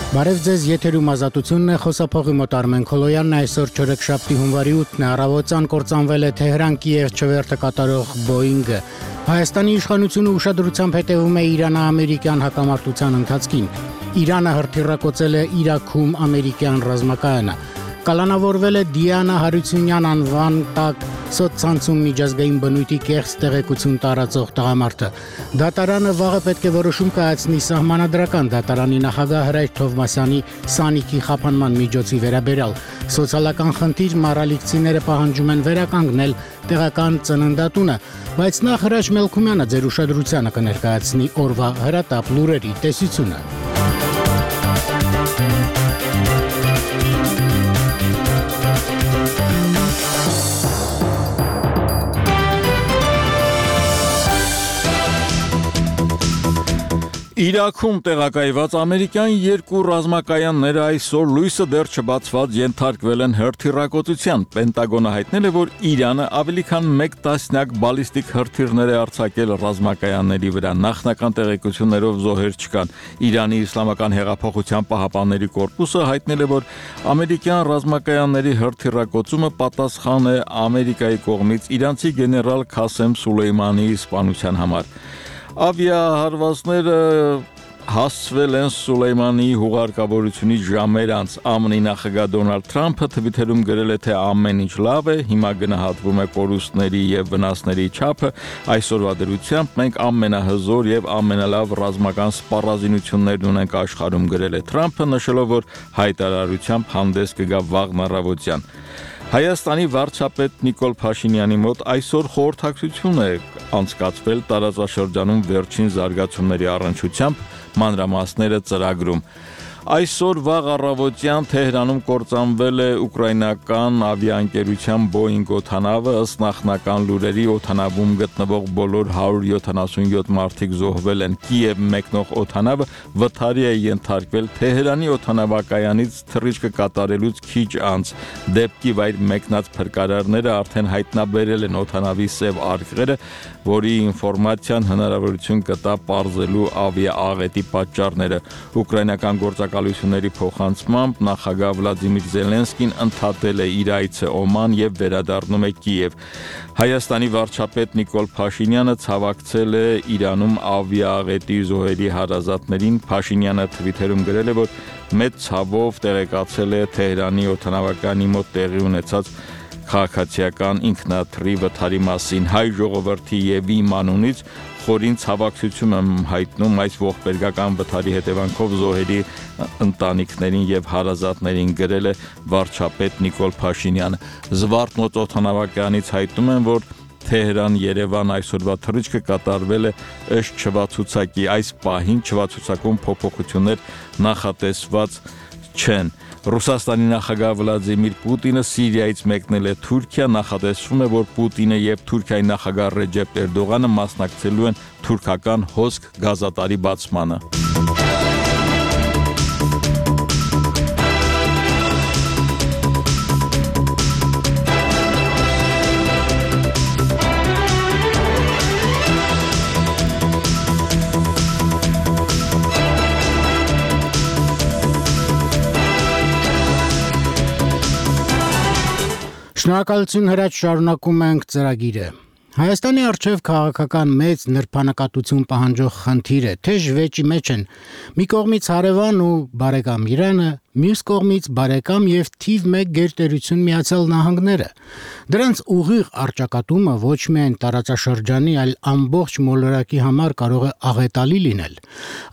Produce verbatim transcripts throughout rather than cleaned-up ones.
Բարև ձեզ, եթերում ազատությունն է, խոսափողի մոտ Արմեն Քոլոյանն է, այսօր չորեքշաբթի հունվարի ութն է, առավոտյան կործանվել է Թեհրան-Կիև չվերթը կատարող Boeing-ը։ Հայաստանի իշխանությունը ուշադրությամբ հետևում է Իրան-ամերիկյան հակամարտության ընթացքին։ Իրանը հրթիռակոծել է Իրաքում ամերիկյան ռազմակայանը։ Կալանավորվել է Դիանա Հարությունյան անվան տակ սոցցանցում միջազգային բնույթի կեղծ տեղեկություն տարածող տղամարդը։ Դատարանը վաղը պետք է որոշում կայացնի սահմանադրական դատարանի նախագահ Հրայր Թովմասյանի Սանիքի խափանման միջոցի վերաբերյալ։ Սոցիալական խնդիր մարալիքցիները պահանջում են վերականգնել տեղական ծննդատունը, բայց նախ Հրաչ Մելքումյանը ձեր ուշադրությանը կներկայացնի օրվա հրատապ լուրերի տեսությունը։ Իրաքում տեղակայված ամերիկյան երկու ռազմակայանները այսօր լույսը դեռ չբացված ենթարկվել են հրթիռակոծության։ Պենտագոնը հայտնել է, որ Իրանը ավելի քան մեկ տասնյակ բալիստիկ հրթիռներ է արձակել ռազմակայանների վրա։ Նախնական տեղեկություններով զոհեր չկան։ Իրանի Իսլամական հեղափոխության պահապանների կորպուսը հայտնել է, որ ամերիկյան ռազմակայանների հրթիռակոծումը պատասխան է Ամերիկայի կողմից իրանցի գեներալ Քասեմ Սուլեյմանիի սպանության համար։ Ավիահարվածները հասցվել են Սուլեյմանիի հուղարկավորությունից ժամեր անց։ ԱՄՆ-ի նախագահ Դոնալդ Թրամփը Թվիթերում գրել է, թե ամեն ինչ լավ է, հիմա գնահատվում է կորուստների եւ վնասների չափը։ Այսօրվա դրությամբ մենք ամենահզոր եւ ամենալավ ռազմական սպառազինություններն ունենք աշխարհում, գրել է Թրամփը, նշելով, որ հայտարարությամբ հանդես կգա վաղն առավոտյան։ Հայաստանի վարչապետ Նիկոլ Փաշինյանի մոտ այսօր խորհրդակցություն է անցկացվել տարածաշրջանում վերջին զարգացումների առնչությամբ, մանրամասները ծրագրում։ Այսօր վաղ առավոտյան Թեհրանում կործանվել է ուկրաինական ավիաընկերության Boeing օդանավը, ըստ նախնական լուրերի օդանավում գտնվող բոլոր հարյուր յոթանասունյոթ մարդիկ զոհվել են։ Կիև մեկնող օդանավը վթարի է ենթարկվել Թեհրանի օդանավակայանից թռիչքը կատարելուց քիչ անց։ Դեպքի վայր մեկնած փրկարարները արդեն հայտնաբերել են օդանավի սև արկղերը, որի ինֆորմացիան հնարավորություն կտա պարզելու ավիաաղետի պատճառները։ Ուկրաինական գործակալությունների փոխանցմամբ նախագահ Վլադիմիր Զելենսկին ընդհատել է իր այցը Օման եւ վերադառնում է Կիև։ Հայաստանի վարչապետ Նիկոլ Փաշինյանը ցավակցել է Իրանում ավիաաղետի զոհերի հարազատներին։ Փաշինյանը Թվիթերում գրել է, որ մեծ ցավով տեղեկացել է Թեհրանի օդանավակայանի մոտ տեղի ունեցած քաղաքացիական ինքնաթռի վթարի մասին։ Հայ ժողովրդի եւ իմ անունից խորին ցավակցություն եմ հայտնում այս ողբերգական վթարի հետևանքով զոհերի ընտանիքներին եւ հարազատներին, գրել է վարչապետ Նիկոլ Փաշինյանը։ Զվարթնոց օդանավակայանից հայտնում են, որ Թեհրան-Երևան այսօրվա թռիչքը կատարվել է ըստ չվացուցակի։ Այս պահին չվացուցակում փոփոխություններ նախատեսված չեն։ Ռուսաստանի նախագահ Վլադիմիր Պուտինը Սիրիայից մեկնել է Թուրքիա, նախատեսվում է, որ Պուտինը եւ Թուրքիայի նախագահ Ռեջեփ Էրդողանը մասնակցելու են թուրքական հոսք գազատարի բացմանը։ Շնորհակալություն Հրաչ, շարունակում ենք ծրագիրը։ Հայաստանի առջև քաղաքական մեծ նրբանակատություն պահանջող խնդիր է, թեժ վեճի մեջ են մի կողմից հարևան ու բարեկամ Իրանը, մյուս կողմից բարեկամ եւ թիվ մեկ գերտերություն Միացյալ Նահանգները։ Դրանց ուղիղ առճակատումը ոչ միայն տարածաշրջանի, այլ ամբողջ մոլորակի համար կարող է աղետալի լինել։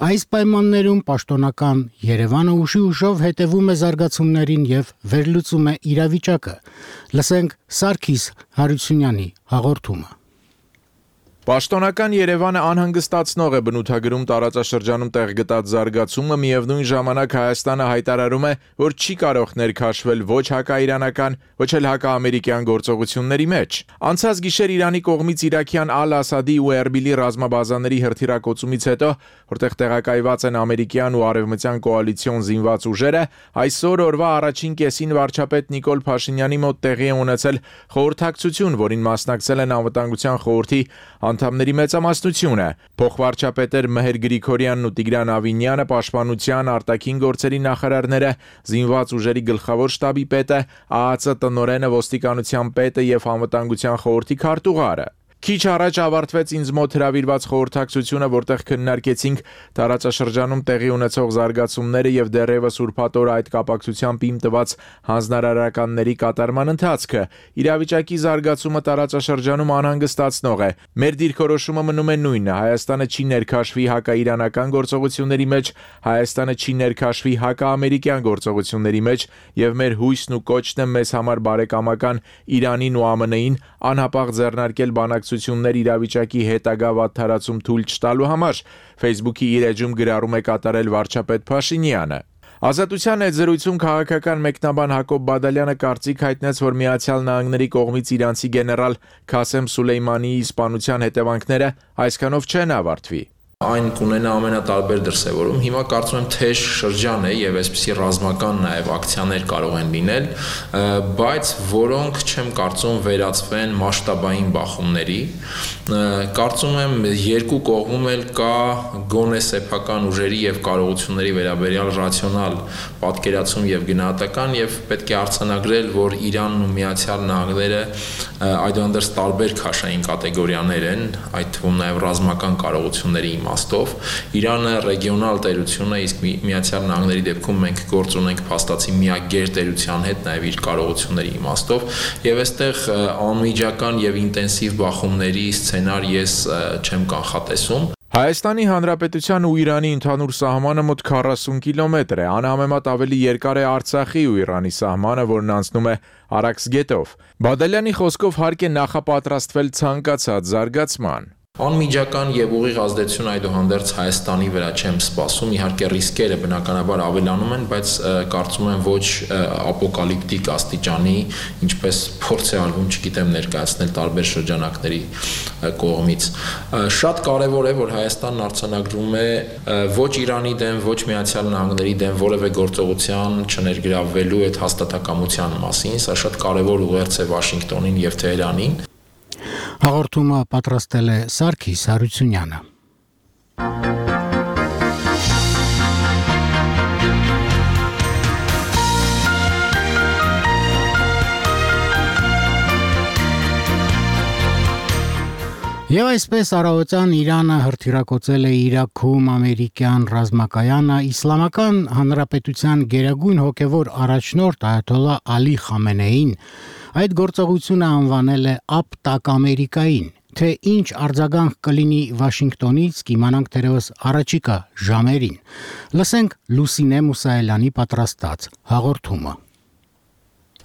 Այս պայմաններում պաշտոնական Երևանը ուշի ուշով հետևում է զարգացումներին եւ վերլուծում է իրավիճակը։ Լսենք Սարգիս Հարությունյանի հաղորդումը։ Պաշտոնական Երևանը անհանգստացնող է բնութագրում տարածաշրջանում տեղ գտած զարգացումը, միևնույն ժամանակ Հայաստանը հայտարարում է, որ չի կարող ներքաշվել ոչ հակաիրանական, ոչ էլ հակաամերիկյան գործողությունների մեջ։ Անցած գիշեր Իրանի կողմից իրաքյան Ալ-Ասադի ու Էրբիլի ռազմաբազաների հրթիռակոծումից հետո, որտեղ տեղակայված են ամերիկյան ու արևմտյան կոալիցիոն զինված ուժերը, այսօր օրվա առաջին կեսին վարչապետ Նիկոլ Փաշինյանի մոտ տեղի է ունեցել խորհրդակցություն, որին մասնակցել են Անվտանգության խորհրդի անդամների մեծամասնությունը։ Փոխվարչապետեր Մհեր Գրիգորյանն ու Տիգրան Ավինյանը, Պաշտպանության, արտաքին գործերի նախարարները, զինված ուժերի գլխավոր շտաբի պետը, ԱԱԾ տնօրենը, ոստիկանության պետը եւ անվտանգության խորհրդի քարտուղարը։ Քիչ առաջ ավարտվեց ինձ մոտ հրավիրված խորհրդակցությունը, որտեղ քննարկեցինք տարածաշրջանում տեղի ունեցող զարգացումները եւ դեռևս ուրբաթ օրը այդ կապակցությամբ իմ տված հանձնարարականների կատարման ընթացքը։ Իրավիճակի զարգացումը տարածաշրջանում անհանգստացնող է։ Մեր դիրքորոշումը մնում է նույնը. Հայաստանը չի ներքաշվի հակաիրանական գործողությունների մեջ, Հայաստանը չի ներքաշվի հակաամերիկյան գործողությունների մեջ եւ մեր հույսն ու կոչն է մեզ համար բարեկամական Իրանին ու ԱՄՆ-ին անհապաղ ձեռնարկել բանակցություններ իրավիճակի հետագա վատթարացում թույլ չտալու համար, Facebook-ի իր էջում գրառում է կատարել վարչապետ Փաշինյանը։ Ազատության այդ զրույցում քաղաքական մեկնաբան Հակոբ Բադալյանը կարծիք հայտնեց, որ Միացյալ Նահանգների կողմից իրանցի գեներալ Քասեմ Սուլեյմանիի սպանության հետևանքները այսքանով չեն ավարտվի։ Այն կունենա ամենատարբեր դրսևորում։ Հիմա կարծում եմ թեժ շրջան է եւ այսպիսի ռազմական նաեւ ակցիաներ կարող են լինել, բայց որոնք չեմ կարծում վերածվեն մասշտաբային բախումների։ Կարծում եմ երկու կողմում էլ կա գոնե սեփական ուժերի եւ կարողությունների վերաբերյալ ռացիոնալ պատկերացում եւ գնահատական եւ պետք է արձանագրել, որ Իրանն ու Միացյալ Նահանգները այդուհանդերձ տարբեր քաշային կատեգորիաներ են, այդ թվում նաեւ ռազմական կարողությունների իմաստով։ Իրանը ռեգիոնալ տերություն է, իսկ Միացյալ Նահանգների դեպքում մենք գործ ունենք փաստացի միակ գերտերության հետ, նաև իր կարողությունների իմաստով, եւ այստեղ անմիջական եւ ինտենսիվ բախումների սցենար ես չեմ կանխատեսում։ Հայաստանի Հանրապետության ու Իրանի ընդհանուր սահմանը մոտ քառասուն կիլոմետր է, անհամեմատ ավելի երկար է Արցախի ու Իրանի սահմանը, որն անցնում է Արաքս գետով։ Բադալյանի խոսքով հարկ է նախապատրաստվել ցանկացած զարգացման։ Անմիջական եւ ուղիղ ազդեցություն այդուհանդերձ Հայաստանի վրա չեմ սպասում, իհարկե ռիսկերը բնականաբար ավելանում են, բայց կարծում եմ ոչ ապոկալիպտիկ աստիճանի, ինչպես փորձ է արվում, չգիտեմ, ներկայացնել տարբեր շրջանակների կողմից։ Շատ կարեւոր է, որ Հայաստանն արձանագրում է ոչ Իրանի դեմ, ոչ Միացյալ Նահանգների դեմ որևէ գործողության չներգրավվելու այդ հաստատակամության մասին, սա շատ կարեւոր ուղերձ է Վաշինգտոնին եւ Թեհրանին։ Հաղորդումը պատրաստել է Սարգիս Հարությունյանը։ Եվ այսպես առավոտյան Իրանը հրթիռակոծել է Իրաքում ամերիկյան ռազմակայանը Իսլամական Հանրապետության գերագույն հոգևոր առաջնորդ Այաթոլլահ Ալի Խամենեին այդ գործողությունը անվանել է «Ապտակ Ամերիկային», թե ինչ արձագանք կլինի Վաշինգտոնից կիմանանք թերևս առաջիկա ժամերին։ Լսենք Լուսինե Մուսայելյանի պատրաստած հաղորդումը։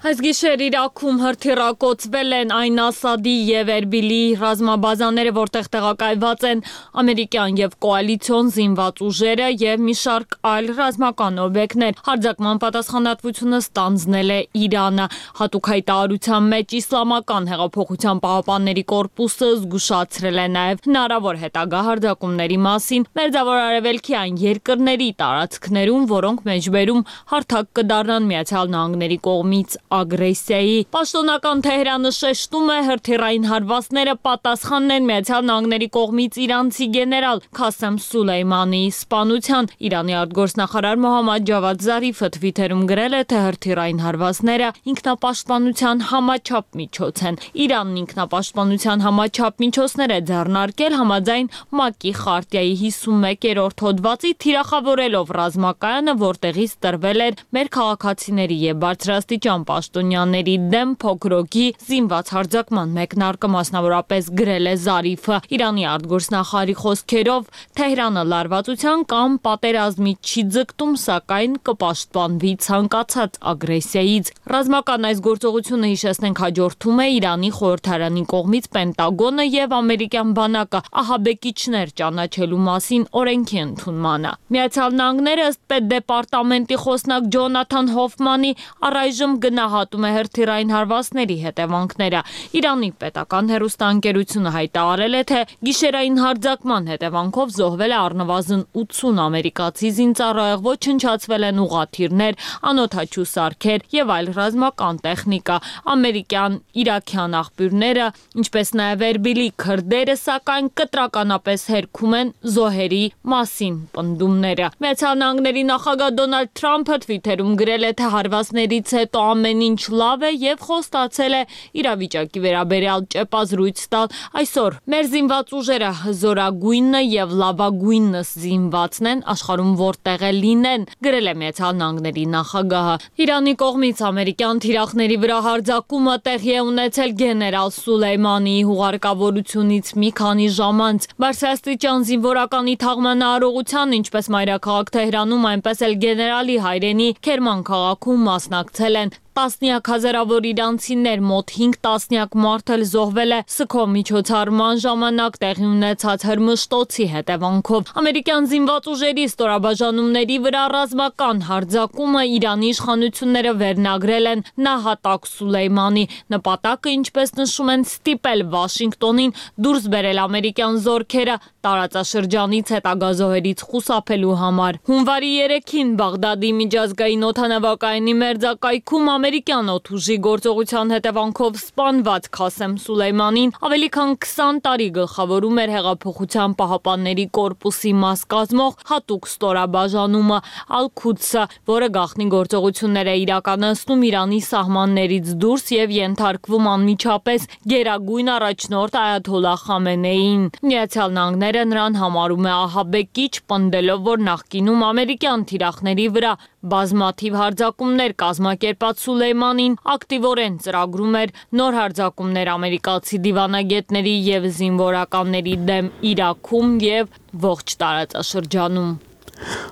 Այս գիշեր Իրաքում հրթիռակոծվել են Այն Ասադի եւ Էրբիլի ռազմաբազաները, որտեղ տեղակայված են ամերիկյան եւ կոալիցիոն զինված ուժերը եւ մի շարք այլ ռազմական օբյեկտներ։ Հարձակման պատասխանատվությունը ստանձնել է Իրանը։ Հատուկ հայտարարության մեջ Իսլամական հեղափոխության պահապանների կորպուսը զգուշացրել է նաեւ հնարավոր հետագա հարձակումների մասին Մերձավոր Արևելքի այն երկրների տարածքներում, որոնք մեջբերում հարթակ կդառնան Միացյալ Նահանգների կողմից ագրեսիայի։ Պաշտոնական Թեհրանը շեշտում է հրթիռային հարվածները պատասխանն են Միացյալ Նահանգների կողմից իրանցի գեներալ Քասեմ Սուլեյմանիի սպանության։ Իրանի արտգործնախարար Մոհամմադ Ջավադ Զարիֆը Twitter-ում գրել է, թե հրթիռային հարվածները ինքնապաշտպանության համաչափ միջոց են։ Իրանն ինքնապաշտպանության համաչափ միջոցներ է ձեռնարկել համաձայն ՄԱԿ-ի խարտիայի հիսունմեկերորդ հոդվածի, թիրախավորելով ռազմակայանը, որտեղից տրվել էր մեր քաղաքացիների եւ բարձրաստիճան պաշտոնյաների դեմ փոքրոքի զինված հարձակման մեկնարկը, մասնավորապես գրել է Զարիֆը։ Իրանի արտգործնախարարի խոսքերով Թեհրանը լարվածության կամ պատերազմի չի ձգտում, սակայն կպաշտպանվի ցանկացած ագրեսիայից։ Ռազմական այս գործողությունը, հիշեցնենք, հաջորդում է Իրանի խորհրդարանի կողմից Պենտագոնը եւ ամերիկյան բանակը ահաբեկիչներ ճանաչելու մասին օրենքի ընդունմանը։ Միացյալ Նահանգները ըստ պետդեպարտամենտի խոսնակ Ջոնաթան Հոֆմանի առայժմ գնահատում գնահատում է հրթիռային հարվածների հետևանքները։ Իրանի պետական հեռուստաընկերությունը հայտարարել է, թե գիշերային հարձակման հետևանքով զոհվել է առնվազն ութսուն ամերիկացի զինծառայող, ոչնչացվել են ուղղաթիռներ, անօդաչու սարքեր եւ այլ ռազմական տեխնիկա։ Ամերիկյան իրաքյան աղբյուրները, ինչպես նաեւ Էրբիլի քրդերը, սակայն կտրականապես հերքում են զոհերի մասին պնդումները։ Միացյալ Նահանգների նախագահ Դոնալդ Թրամփը Twitter-ում գրել է, թե հարվածներից հետո ամեն ինչ լավ է եւ խոստացել է իրավիճակի վերաբերյալ ճեպազրույց տալ։ Այսօր մեր զինված ուժերը հզորագույնը եւ լավագույնս զինվածն են աշխարհում որտեղ է լինեն, գրել է Միացյալ Նահանգների նախագահը։ Իրանի կողմից ամերիկյան թիրախների վրա հարձակումը տեղի է ունեցել գեներալ Սուլեյմանիի հուղարկավորությունից մի քանի ժամ անց։ Բարձրաստիճան զինվորականի թաղման արարողության, ինչպես մայրաքաղաք Թեհրանում, այնպես էլ գեներալի հայրենի Քերման քաղաքում մասնակցել են տասնյակ հազարավոր իրանցիներ, մոտ հինգ տասնյակ մարդ էլ զոհվել է սգո միջոցառման ժամանակ տեղի ունեցած հրմշտոցի հետևանքով։ Ամերիկյան զինված ուժերի ստորաբաժանումների վրա ռազմական հարձակումը Իրանի իշխանությունները վերնագրել են նահատակ Սուլեյմանի։ Նպատակը, ինչպես նշում են, ստիպել Վաշինգտոնին դուրս բերել ամերիկյան զորքերը տարածաշրջանից հետագա զոհերից խուսափելու համար։ Հունվարի երեքին Բաղդադի միջազգային օդանավակայանի մերձակայքում ամերիկյան օդուժի գործողության հետևանքով սպանված Քասեմ Սուլեյմանին ավելի քան քսան տարի գլխավորում էր Հեղափոխության պահապանների կորպուսի մաս կազմող հատուկ ստորաբաժանումը Ալ-Քուդսը, որը գաղտնի գործողություններ է իրականացնում Իրանի սահմաններից դուրս եւ ենթարկվում անմիջապես գերագույն առաջնորդ Այաթոլլահ Խամենեիին։ Միացյալ Նահանգները նրան համարում է ահաբեկիչ, պնդելով, որ նախկինում ամերիկյան թիրախների վրա բազմաթիվ հարձակումներ կազմակերպած Սուլեյմանին ակտիվորեն ծրագրում էր նոր հարձակումներ ամերիկացի դիվանագետների եւ զինվորականների դեմ Իրաքում եւ ողջ տարածաշրջանում։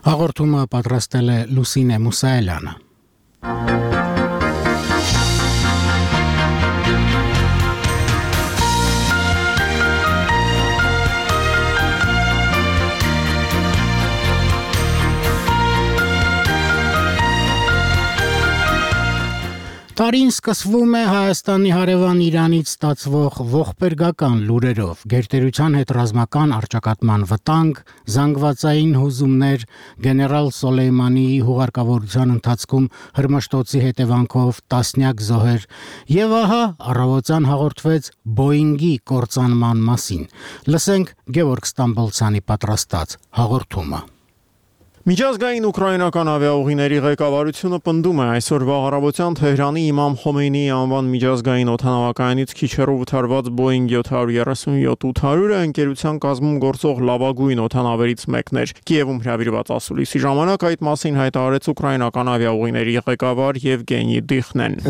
Հաղորդումը պատրաստել է Լուսինե Մուսայելյանը։ Տարին սկսվում է Հայաստանի հարևան Իրանից ստացվող ողբերգական լուրերով, գերտերության հետ ռազմական առճակատման վտանգ, զանգվածային հուզումներ, գեներալ Սոլեյմանիի հուղարկավորության ընթացքում հրմշտոցի հետևանքով տասնյակ զոհեր, եւ ահա առավոտյան հաղորդվեց Բոինգի կործանման մասին։ Լսենք Գևորգ Ստամբոլցյանի պատրաստած հաղորդումը։ Միջազգային ուկրաինական ավիաուղիների ղեկավարությունը պնդում է այսօրվա առավոտյան Թեհրանի Իմամ Խոմեյնիի անվան միջազգային օդանավակայանից քիչ հեռու վթարված Boeing seven thirty-seven eight hundred-ը ընկերության կազմում գործող լավագույն օդանավերից մեկն էր։ Կիևում հրավիրված ասուլիսի ժամանակ այդ մասին հայտարարեց ուկրաինական ավիաուղիների ղեկավար Եվգենի Դիխնեն։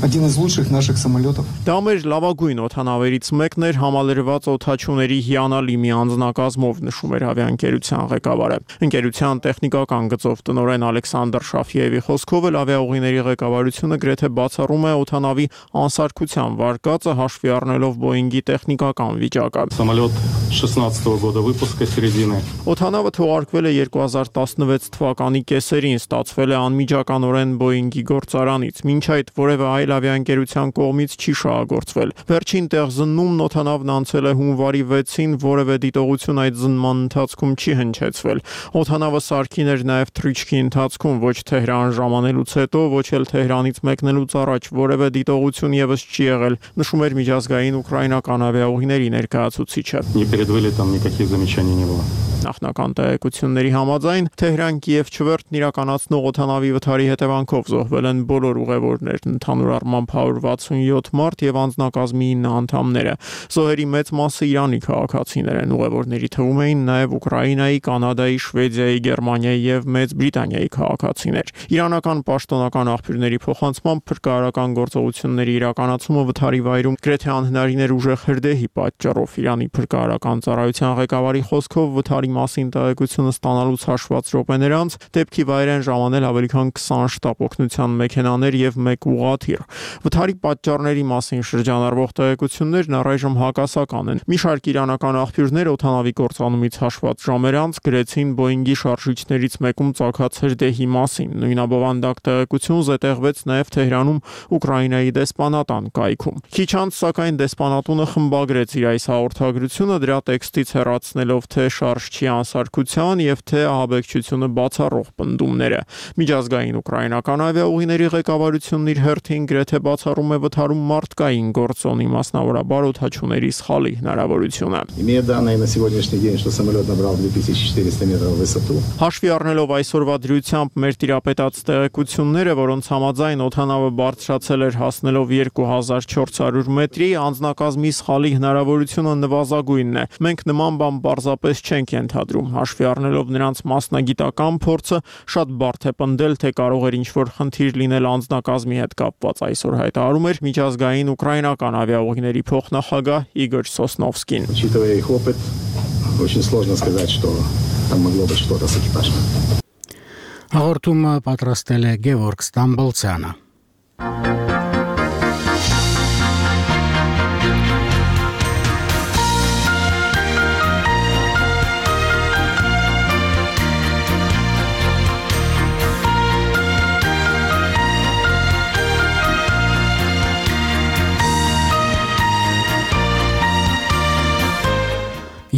Один из лучших наших самолетов. Դա մեր լավագույն օդանավերից մեկն էր համալրված օդաչուների հիանալի մի անձնակազմով, նշում էր ավիաընկերության ղեկավարը։ Ընկերության տեխնիկական գծով տնօրեն Ալեքսանդր Շաֆիևի խոսքով էլ ավիաուղիների ղեկավարությունը գրեթե բացառում է օդանավի անսարքության վարկածը հաշվի առնելով Boeing-ի տեխնիկական վիճակը։ Самолет шестнадцатого года выпуска середины. Օդանավը թողարկվել է two thousand seventeen թվականի կեսերին, ստացվել է անմիջականորեն Boeing-ի գործարանից, մինչ այդ որևէ այլ ավիաընկերության կողմից չի շահագործվել։ Վերջին տեղ զննումն օդանավն անցել է հունվարի վեցին, որևէ դիտողություն այդ զննման ընթացքում չի հնչեցվել։ Օդանավը սարքին էր նաև թռիչքի ընթացքում, ոչ Թեհրան ժամանելուց հետո, ոչ էլ Թեհրանից մեկնելուց առաջ որևէ դիտողություն եւս չի եղել, նշում էր միջազգային ուկրաինական ավիաուղիների ներկայացուցիչը։ Не перед вылетом никаких замечаний не было. Նախնական տեղեկությունների համաձայն Թեհրան-Կիև չվերթն իրականացնող օդանավի վթարի հետևանքով զոհվել են բոլոր ուղևորներն, ընդհանուր առմամբ one hundred sixty-seven մարդ եւ անձնակազմի nine անդամները։ Զոհերի մեծ մասը Իրանի քաղաքացիներ են, ուղևորների թվում էին նաեւ Ուկրաինայի, Կանադայի, Շվեդիայի, Գերմանիայի եւ Մեծ Բրիտանիայի քաղաքացիներ։ Իրանական պաշտոնական աղբյուրների փոխանցմամբ փրկարարական գործողությունների իրականացումը վթարի վայրում գրեթե անհնարին էր ուժեղ հրդեհի պատճառով։ Իրանի փրկարարական Գյուղատնտեսական ծառայության ղեկավարի խոսքով վթարի մասին տեղեկությունը ստանալուց հաշված րոպեներ անց դեպքի վայր են ժամանել ավելի քան քսան շտապ օգնության մեքենաներ եւ մեկ ուղղաթիռ։ Վթարի պատճառների մասին շրջանառվող տեղեկություններն առայժմ հակասական են։ Մի շարք իրանական աղբյուրներ օդանավի կործանումից հաշված ժամեր անց գրեցին Boeing-ի շարժիչներից մեկում ծագած հրդեհի մասին։ Նույնաբովանդակ տեղեկություն զետեղվեց նաև Թեհրանում Ուկրաինայի դեսպանատան կայքում։ Քիչ անց, սակայն, դեսպանատունը խմբագրեց իր այս հաղորդագրությունը, դրա տեքստից հեռացնելով թե շարժչի անսարքության եւ թե ահաբեկչությունը բացառող պնդումները։ Միջազգային ուկրաինական ավիաուղիների ղեկավարությունն իր հերթին գրեթե բացառում է վթարում մարդկային գործոնի, մասնավորաբար օդաչուների սխալի հնարավորությունը։ Имея данные на сегодняшний день, что самолет набрал две тысячи четыреста метров в высоту. Հաշվի առնելով այսօրվա դրությամբ մեր տիրապետած տեղեկությունները, որոնց համաձայն օդանավը բարձրացել էր հասնելով երկու հազար չորս հարյուր մետրի, անձնակազմի սխալի հնարավորությունը նվազագույնն է։ Մենք նման բան պարզապես չենք ենթադրում։ Հաշվի առնելով նրանց մասնագիտական փորձը, շատ բարդ է պնդել, թե կարող էր ինչ-որ խնդիր լինել անձնակազմի հետ կապված, այսօր հայտարարում էր միջազգային ուկրաինական ավիաուղիների փոխնախագահ Իգոր Սոսնովսկին։ Учитывая их опыт, очень сложно сказать, что там могло быть что-то с экипажем. Հաղորդումը պատրաստել է Գևորգ Ստամբոլցյանը։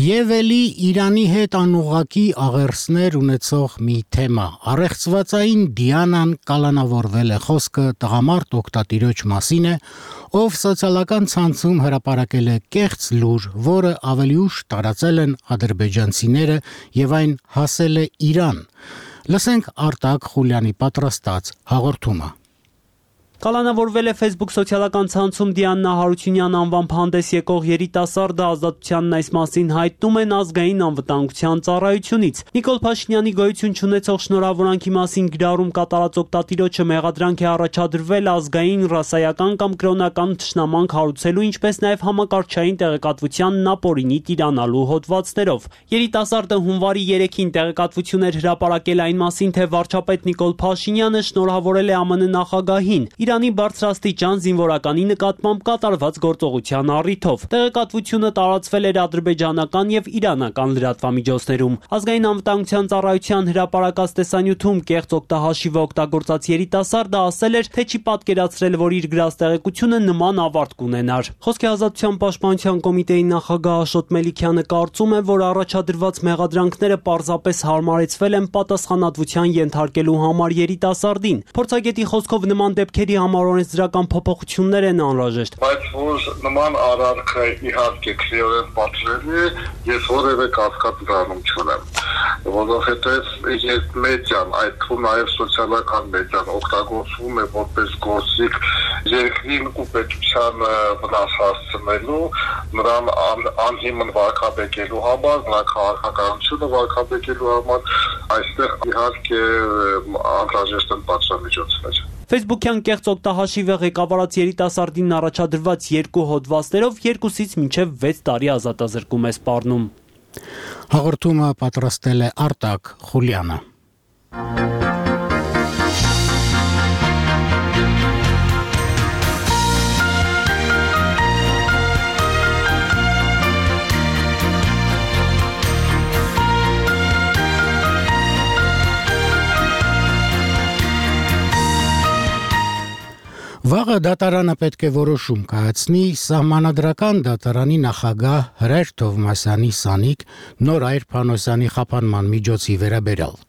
Եվ էլի Իրանի հետ անուղղակի աղերսներ ունեցող մի թեմա։ Առեղծվածային Դիանան կալանավորվել է, խոսքը տղամարդ օգտատիրոջ մասին է, ով սոցիալական ցանցում հրապարակել է կեղծ լուր, որը ավելի ուշ տարածել են ադրբեջանցիները եւ այն հասել է Իրան։ Լսենք Արտակ Խուլյանի պատրաստած հաղորդումը։ Կալանավորվել է Facebook սոցիալական ցանցում Դիանա Հարությունյան անվամբ հանդես եկող երիտասարդը, ազատությանն այս մասին հայտնում են ազգային անվտանգության ծառայությունից։ Նիկոլ Փաշինյանի գոյություն չունեցող շնորհավորանքի մասին գրառում կատարած օգտատիրոջը մեղադրանք է առաջադրվել ազգային, ռասայական կամ կրոնական թշնամանք հարուցելու, ինչպես նաև համակարգչային տեղեկատվությանն ապօրինի տիրանալու հոդվածներով։ Երիտասարդը հունվարի երեքին տեղեկատվություն էր հրապարակել այն մասին, թե վարչապետ Նիկոլ Փաշինյանը շնորհավորել է ԱՄՆ նախագահին Իրանի բարձրաստիճան զինվորականի նկատմամբ կատարված գործողության առիթով։ Տեղեկատվությունը տարածվել էր ադրբեջանական եւ իրանական լրատվամիջոցներում։ Ազգային անվտանգության ծառայության հրապարակած տեսանյութում կեղծ օգտահաշիվը օգտագործած երիտասարդը ասել էր, թե չի պատկերացրել, որ իր գրած տեղեկությունը նման ավարտ կունենար։ Խոսքի ազատության պաշտպանության կոմիտեի նախագահ Աշոտ Մելիքյանը կարծում է, որ առաջադրված մեղադրանքները պարզապես հարմարեցվել են պատասխանատվության ենթարկելու համար երիտասարդին։ Փորձագետի խոսքով նման դեպքերի համար օրենսդրական փոփոխություններ են անհրաժեշտ։ Բայց որ նման արարքը իհարկե քրեորեն պատժելի է, ես որևէ կասկած դառնում չունեմ, որովհետև երբ մեդիան, այդ թվում նաև սոցիալական մեդիան օգտագործվում է որպես գործիք երկրին ու պետությանը վնաս հասցնելու, նրան անհիմն վարկաբեկելու համար, նրա քաղաքականությունը վարկաբեկելու համար, այստեղ իհարկե անհրաժեշտ են պատժամիջոցներ։ Facebook-յան կեղծ օգտահաշիվը ղեկավարած երիտասարդին առաջադրված երկու հոդվածներով երկուսից մինչև վեց տարի ազատազրկում է սպառնում։ Հաղորդումը պատրաստել է Արտակ Խուլյանը։ Վաղը դատարանը պետք է որոշում կայացնի սահմանադրական դատարանի նախագահ Հրեր Թովմասյանի Սանիկ Նորայր Փանոսյանի խափանման միջոցի վերաբերյալ։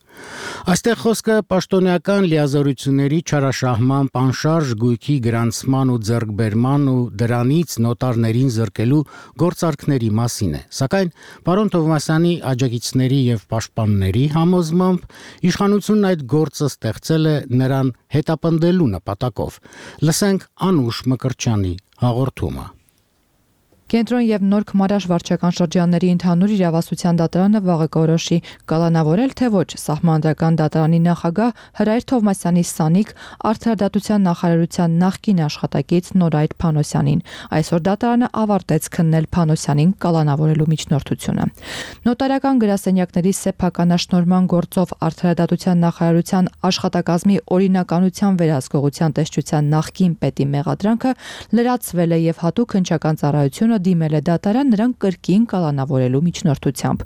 Այստեղ խոսքը պաշտոնեական լիազորությունների չարաշահման, պանշարժ գույքի գրանցման ու ձեռքբերման ու դրանից նոտարներին զրկելու գործարքների մասին է։ Սակայն պարոն Թովմասյանի աջակիցների եւ պաշտպանների համոզմամբ իշխանությունն այդ գործը ստեղծել է նրան հետապնդելու նպատակով։ Լսենք Անուշ Մկրտչյանի հաղորդումը։ Կենտրոն եւ Նոր Քմարաշ վարչական շրջանների ընդհանուր իրավասության դատարանը վաղը կորոշի կալանավորել թե ոչ Սահմանադրական դատարանի նախագահ Հրայր Թովմասյանի սանիկ Արդարադատության նախարարության նախկին աշխատակից Նորայր Փանոսյանին։ Այսօր դատարանը ավարտեց քննել Փանոսյանին կալանավորելու միջնորդությունը։ Նոտարական գրասենյակների սեփականաշնորհման գործով Արդարադատության նախարարության աշխատակազմի օրինականության վերահսկողության տեսչության նախկին պետի մեղադրանքը լրացվել է եւ հատուկ հնչական ծառայությունը դիմել է դատարան նրան կրկին կալանավորելու միջնորդությամբ։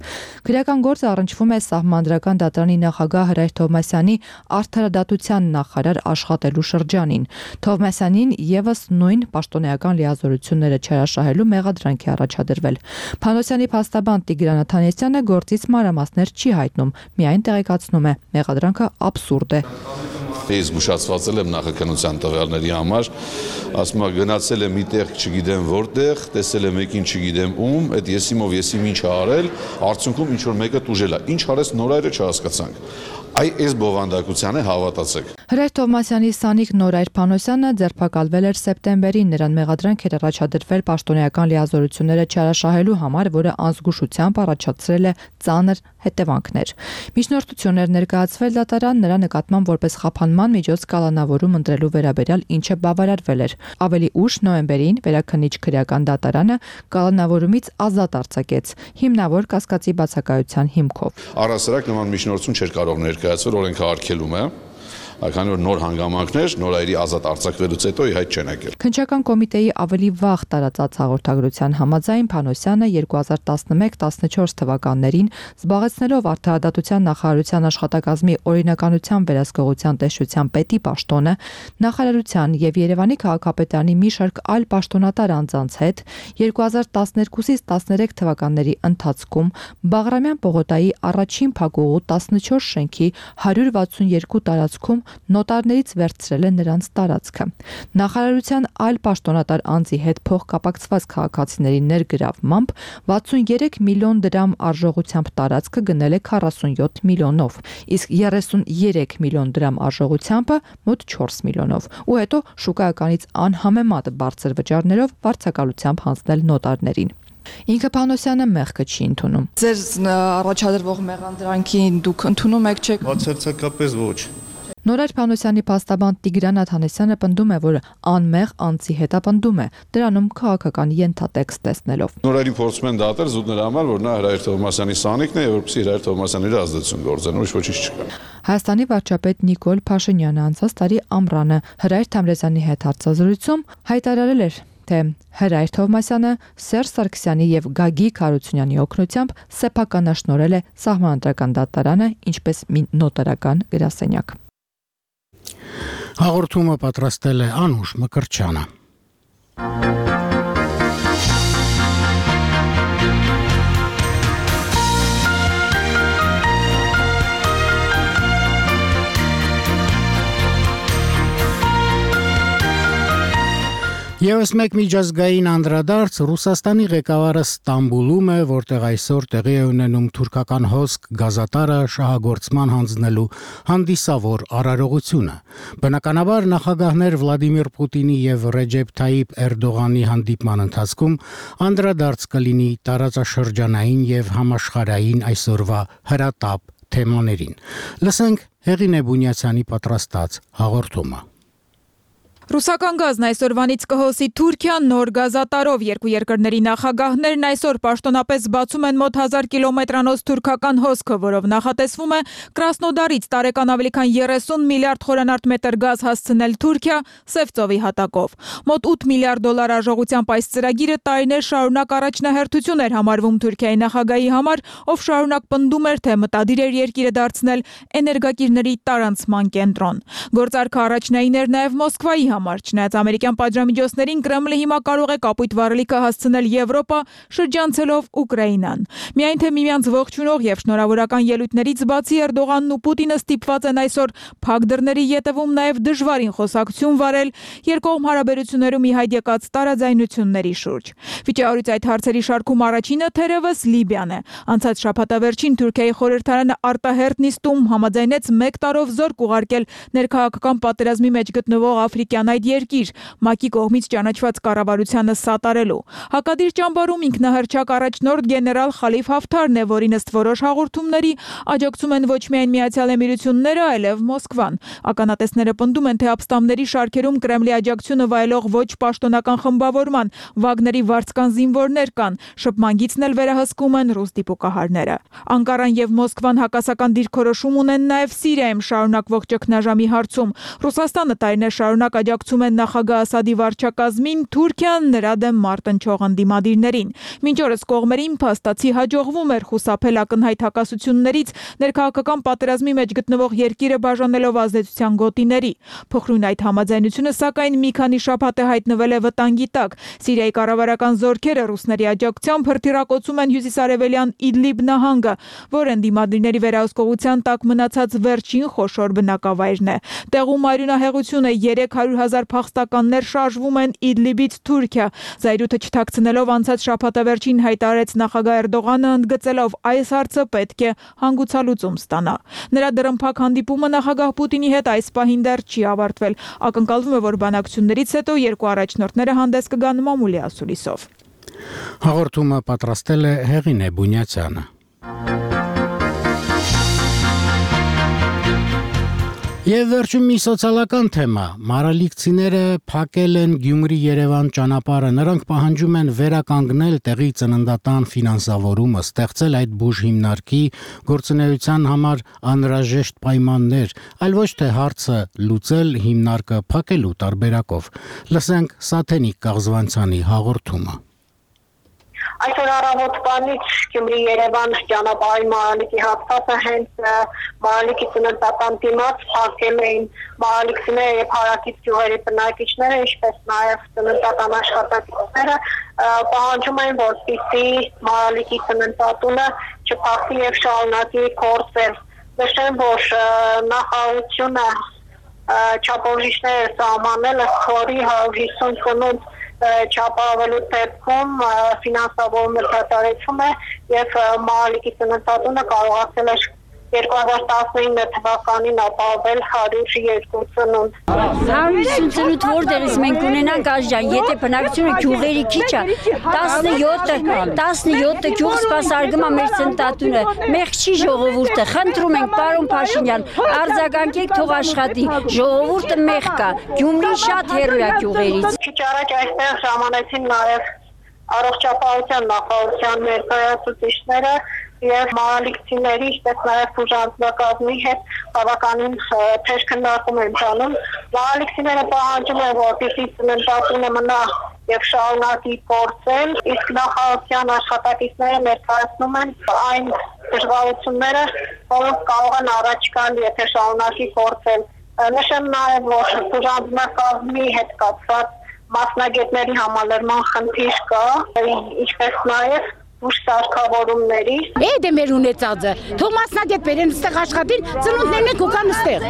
Քրեական գործը առնչվում է Սահմանադրական դատարանի նախագահ Հրայր Թովմասյանի արդարադատության նախարար աշխատելու շրջանին։ Թովմասյանին եւս նույն պաշտոնեական լիազորությունները չհրաշահելու մեղադրանք է առաջադրվել։ Փանոսյանի փաստաբան Տիգրան Աթանեսյանը գործից մանրամասներ չի հայտնում, միայն տեղեկացնում է մեղադրանքը աբսուրդ է։ Ես զգուշացվածել եմ նախաքննության տվյալների համար, ասում եմ գնացել եմ միտեղ չգիտեմ որտեղ, տեսել եմ մեկին չգիտեմ ում, այդ եսիմով եսիմ ինչ ա արել, արդյունքում ինչ որ մեկը տուժել է։ Ինչ արեց Նորայրը չհասկացանք։ Այ այս բովանդակությանը հավատացեք։ Հրայր Թովմասյանի սանիկ Նորայր Փանոսյանը ձերբակալվել էր սեպտեմբերին, նրան մեղադրանք էր առաջադրվել պաշտոնեական լիազորությունները չհրաշահելու համար, որը անզգուշությամբ առաջացրել է ծանր հետևանքներ։ Միջնորդություն էր ներկայացվել դատարան նրա նկատմամբ որպես խափանման միջոց կալանավորում ընտրելու վերաբերյալ, ինչը բավարարվել էր։ Ավելի ուշ նոյեմբերին վերաքննիչ քրեական դատարանը կալանավորումից ազատ արձակեց հիմնավոր կասկածի բացակայության հիմքով։ Առհասարակ նման միջնորդություն չէր կարող ներկայացվել օրենքը արգելում է։ Քանի որ նոր հանգամանքներ նորայրի ազատ արձակվելուց հետո իհայտ չեն եկել։ Քննչական կոմիտեի ավելի վաղ տարածած հաղորդագրության համաձայն Փանոսյանը երկու հազար տասնմեկ տասնչորս թվականներին զբաղեցնելով Արդարադատության նախարարության աշխատակազմի օրինականության վերահսկողության տեսչության պետի պաշտոնը նախարարության եւ Երևանի քաղաքապետարանի մի շարք այլ պաշտոնատար անձանց հետ երկու հազար տասներկուսից տասներեք թվականների ընթացքում Բաղրամյան պողոտայի առաջին փակուղու տասնչորս շենքի հարյուր վաթսունյերկու տարածքում նոտարներից վերցրել է նրանց տարածքը։ Նախարարության այլ պաշտոնատար անձի հետ փոխկապակցված քաղաքացիների ներգրավմամբ վաթսունյերեք միլիոն դրամ արժողությամբ տարածքը գնել է քառասունյոթ միլիոնով, իսկ երեսունյերեք միլիոն դրամ արժողությամբը մոտ չորս միլիոնով, ու հետո շուկայականից անհամեմատ բարձր վճարներով վարձակալությամբ հանձնել նոտարներին։ Ինքը Փանոսյանը մեղքը չի ընդունում։ Ձեր առաջադրվող մեղադրանքին դուք ընդունում եք, չեք։ Բացարձակապես ոչ։ Նորայր Փանոսյանի փաստաբան Տիգրան Աթանեսյանը պնդում է, որ անմեղ անձի հետապնդում է, դրանում քաղաքական ենթատեքստ տեսնելով։ Նորայրին փորձում են դատել զուտ նրա համար, որ նա Հրայր Թովմասյանի սանիկն է, եւ որպեսզի Հրայր Թովմասյանի վրա ազդեցություն գործեն, ուրիշ ոչինչ չկա։ Հայաստանի վարչապետ Նիկոլ Փաշինյանը անցած տարի ամռանը Հրայր Թամրազյանի հետ հարցազրույցում հայտարարել էր, թե Հրայր Թովմասյանը Սերժ Սարգսյանի եւ Գագիկ Հարությունյանի օգնությամբ սեփականաշնորհել է Սահմանադրական դատարանը ինչպես մի նոտարական գրասենյակ։ Հաղորդումը պատրաստել է Անուշ Մկրտչյանը։ Եվս մեկ միջազգային անդրադարձ Ռուսաստանի ղեկավարը Ստամբուլում է, որտեղ այսօր տեղի է ունենում թուրքական հոսք գազատարը շահագործման հանձնելու հանդիսավոր արարողությունը։ Բնականաբար նախագահներ Վլադիմիր Պուտինի եւ Ռեջեփ Թայիփ Էրդողանի հանդիպման ընթացքում անդրադարձ կլինի տարածաշրջանային եւ համաշխարհային այսօրվա հրատապ թեմաներին։ Լսենք Հեղինե Բունյացյանի պատրաստած հաղորդումը։ Ռուսական գազն այսօրվանից կհոսի Թուրքիան նոր գազատարով։ Երկու երկրների նախագահներն այսօր պաշտոնապես բացում են մոտ հազար կիլոմետրանոց թուրքական հոսքը, որով նախատեսվում է Կրասնոդարից տարեկան ավելի քան երեսուն միլիարդ խորանարդ մետր գազ հասցնել Թուրքիա Սև ծովի հատակով։ Մոտ ութ միլիարդ դոլար արժողությամբ այս ծրագիրը տարիներ շարունակ առաջնահերթություն էր համարվում Թուրքիայի նախագահի համար, ով շարունակ պնդում էր, թե մտադիր էր երկիրը դարձնել էներգակիրների տարանցման կենտրոն։ Գործարքը առաջնային էր նաև Մոսկվայի համար, չնայած ամերիկյան պատժամիջոցներին Կրեմլը հիմա կարող է կապույտ վառելիքը հասցնել Եվրոպա, շրջանցելով Ուկրաինան։ Միայն թե միմյանց ողջունող եւ շնորհավորական ելույթներից բացի Էրդողանն ու Պուտինը ստիպված են այսօր փակ դռների ետևում նաև դժվարին խոսակցություն վարել երկկողմ հարաբերություններում ի հայտ եկած տարաձայնությունների շուրջ։ Վիճահարույց այդ հարցերի շարքում առաջինը թերևս Լիբիան է։ Անցած շաբաթավերջին Թուրքիայի խորհրդարանը արտահերտ նիստում համաձայնեց մեկ տարով զորք ուղարկել ներքաղաքական պատերազմի մեջ գտնվող Աֆրիկյան Սիրիան այդ երկիր ՄԱԿ-ի կողմից ճանաչված կառավարությանը սատարելու։ Հակադիր ճամբարում ինքնահռչակ առաջնորդ գեներալ Խալիֆ Հաֆթարն է, որին ըստ որոշ հաղորդումների աջակցում են ոչ միայն Միացյալ Էմիրությունները, այլև Մոսկվան։ Ականատեսները պնդում են, թե ապստամբների շարքերում Կրեմլի աջակցությունը վայելող ոչ պաշտոնական խմբավորման Վագների վարձկան զինվորներ կան։ Շփման գիծն էլ վերահսկում են ռուս դիպուկահարները։ Անկարան եւ Մոսկվան հակասական դիրքորոշում ունեն նաեւ Սիրիայում շարունակվող ճգնաժամի հարցում։ Ռուսաստանը տարիներ շարունակ աջակցում է նախագահ Ասադի վարչակազմին, Թուրքիան նրա դեմ մարտնչող ընդդիմադիրներին։ Մինչ օրս կողմերին փաստացի հաջողվում էր խուսափել ակնհայտ հակասություններից, ներքաղաքական պատերազմի մեջ գտնվող երկիրը բաժանելով ազդեցության գոտիների։ Փոխրուն այդ համաձայնությունը սակայն մի քանի շաբաթ է հայտնվել է վտանգի տակ։ Սիրիայի կառավարական զորքերը ռուսների աջակցությամբ հրթիռակոծում են հյուսիսարևելյան Իդլիբ նահանգը, որը ընդդիմադիրների վերահսկողության տակ մնացած վերջին խոշոր բնակավայրն է։ Տեղում արյունահեղություն է, երեք հարյուր հազար փախստականներ շարժվում են Իդլիբից Թուրքիա։ Զայրույթը չթաքցնելով անցած շաբաթավերջին հայտարարեց նախագահ Էրդողանը, ընդգծելով այս հարցը պետք է հանգուցալուծում ստանա։ Նրա դռնփակ հանդիպումը նախագահ Պուտինի հետ այս պահին դեռ չի ավարտվել։ Ակնկալվում է, որ բանակցություններից հետո երկու առաջնորդները հանդես կգան մամուլի ասուլիսով։ Հաղորդումը պատրաստել է Հեղինե Բունյացյանը։ Եվ վերջում մի սոցիալական թեմա։ Մարալիքցիները փակել են Գյումրի-Երևան ճանապարհը։ Նրանք պահանջում են վերականգնել տեղի ծննդատան ֆինանսավորումը, ստեղծել այդ բուժ հիմնարկի գործունեության համար անհրաժեշտ պայմաններ, այլ ոչ թե հարցը լուծել հիմնարկը փակելու տարբերակով։ Լսենք Սաթենիկ Կաղզվանցյանի հաղորդումը։ Այսօր առավոտվանից Գյումրի-Երևան ճանապարհի Մարալիկի հատվածը հենց Մարալիկի ծննդատան դիմաց փակել էին մարալիքցիները եւ հարակից գյուղերի բնակիչները, ինչպես նաեւ ծննդատան աշխատակիցները պահանջում են, որպեսզի Մարալիկի ծննդատունը չփակվի եւ շարունակի գործել։ Նշեմ, որ նախարարությունը չափորոշիչներ սահմանել է, որի հարյուր հիսուն ծնունդ չապահովելու դեպքում ֆինանսավորումը դադարեցում է եւ Մարալիկի ծննդատունը կարողացել է երկու հազար տասնինը թվականին ապահովել հարյուր երկու ծնունդ։ հարյուր հիսուն ծնունդ որտեղից մենք ունենանք Աշջան, եթե բնակչությունը գյուղերի քիչ է, տասնյոթը տասնյոթը գյուղ սպասարկում է մեր ծննդատունը, մեղք չի ժողովուրդը, խնդրում ենք պարոն Փաշինյան, արձագանքեք, թող աշխատի, ժողովուրդը մեղք կա, Գյումրին շատ հեռու է գյուղերից։ Քիչ առաջ այստեղ ժամանեցին նաեւ առողջապահության նախարարության ներկայացուցիչները եւ մարալիքցիների, ինչպես նաեւ բուժանձնակազմի հետ բավականին թեժ քննարկում են տանում։ Մարալիքցիները պահանջում են, որպեսզի ծննդատունը մնա եւ շարունակի գործել, իսկ նախարարության աշխատակիցները ներկայացնում են այն դժվարությունները, որոնք կարող են առաջ գալ, եթե շարունակի գործել։ Նշեմ նաեւ, որ բուժանձնակազմի հետ կապված մասնագետների համալրման խնդիր կա, ինչպես նաեւ ուշ սարքավորումների։ Էդ է մեր ունեցածը։ Թող մասնագետ բերեն ստեղ աշխատին, ծնունդներն են կուկան ստեղ։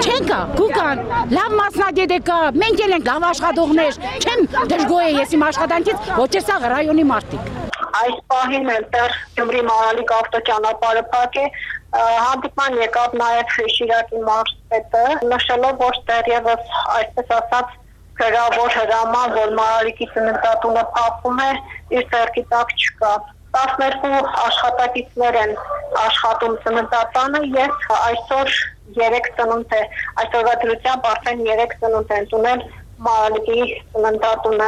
Չեն կա, կուկան, լավ մասնագետ է կա, մենք էլ ենք լավ աշխատողներ, չեմ դժգոհ է ես իմ աշխատանքից, ոչ է սա ռայոնի մարդիկ։ Այս պահին էլ դեռ Գյումրի Մարալիկ ավտոճանապարհը փակ է, հանդիպման եկավ նաև Շիրակի մարզպետը, նշելով, որ դեռևս այսպես ասած գրավոր հրաման, որ Մարալիկի ծննդատունը փակվում է, իր ձեռքի տակ չկա։ տասներկու աշխատակիցներ են աշխատում ծննդատանը եւ այսօր երեք ծնունդ է, այսօրվա դրությամբ արդեն երեք ծնունդ են տունել Մարալիկի ծննդատունը։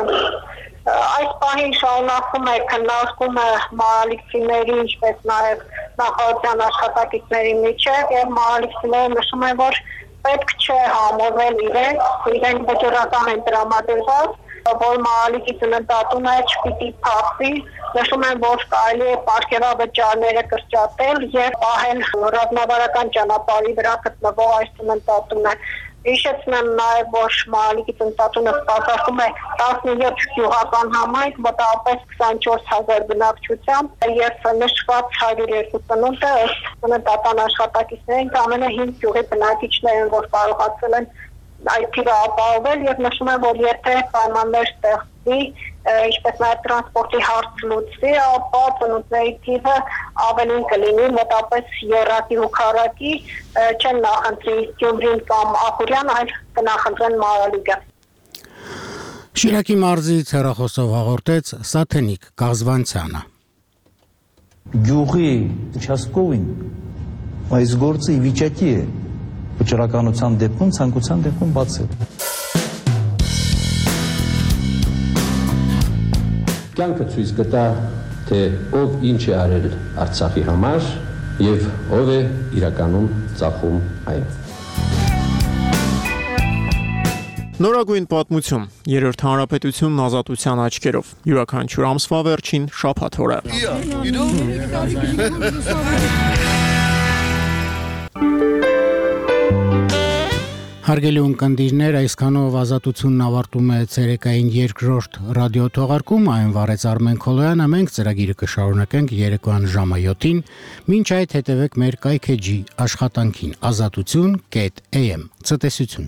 Այս պահին շարունակվում է քննարկումը մարալիքցիների, ինչպես նաև նախարարության աշխատակիցների միջև եւ մարալիքցիները նշում են, որ պետք չէ համոզել իրենք, իրենք վճռական են տրամադրված, որ Մարալիկի ծննդատունը չպիտի փակվի, նշում են, որ կարելի է պարգևավճարները կրճատել եւ պահել ռազմավարական ճանապարհի վրա գտնվող այս ծննդատունը։ Հիշեցնեմ նաև, որ Մարալիկի ծննդատունը սպասարկում է տասնյոթ գյուղական համայնք, մոտավորապես քսանչորս հազար բնակչությամբ եւ նշված հարյուր երկու ծնունդը ըստ ծննդատան աշխատակիցներին ամենը հինգ գյուղի բնակիչներ են, որ կարողացել են այդ թիվը ապահովել եւ նշում են, որ եթե պայմաններ ստեղծվի, ինչպես նաեւ տրանսպորտի հարց լուծվի, ապա ծնունդների թիվը ավելին կլինի, մոտապես երակի ու քառակի, չեն նախընտրի Գյումրին կամ Ախուրյան, այլ կնախընտրեն Մարալիգը։ Շիրակի մարզից հեռախոսով հաղորդեց Սաթենիկ Գազվանցյանը։ Գյուղի участковին այս գործը ի վիճակի է վճռականության դեպքում, ցանկության դեպքում բացել։ Կյանքը ցույց կտա, թե ով ինչ է արել Արցախի համար եւ ով է իրականում ծախում այն։ Նորագույն պատմություն, երրորդ հանրապետությունն ազատության աչքերով, յուրաքանչյուր ամսվա վերջին շաբաթ օրը։ Հարգելի ունկնդիրներ, այսքանով ազատությունն ավարտում է ցերեկային երկրորդ ռադիոթողարկում, այն վարեց Արմեն Քոլոյանը, մենք ծրագիրը կշարունակենք երեկոյան ժամը յոթին, մինչ այդ հետևեք մեր կայքեջի աշխատանքին ազատություն կետ էյ էմ, ցտեսություն։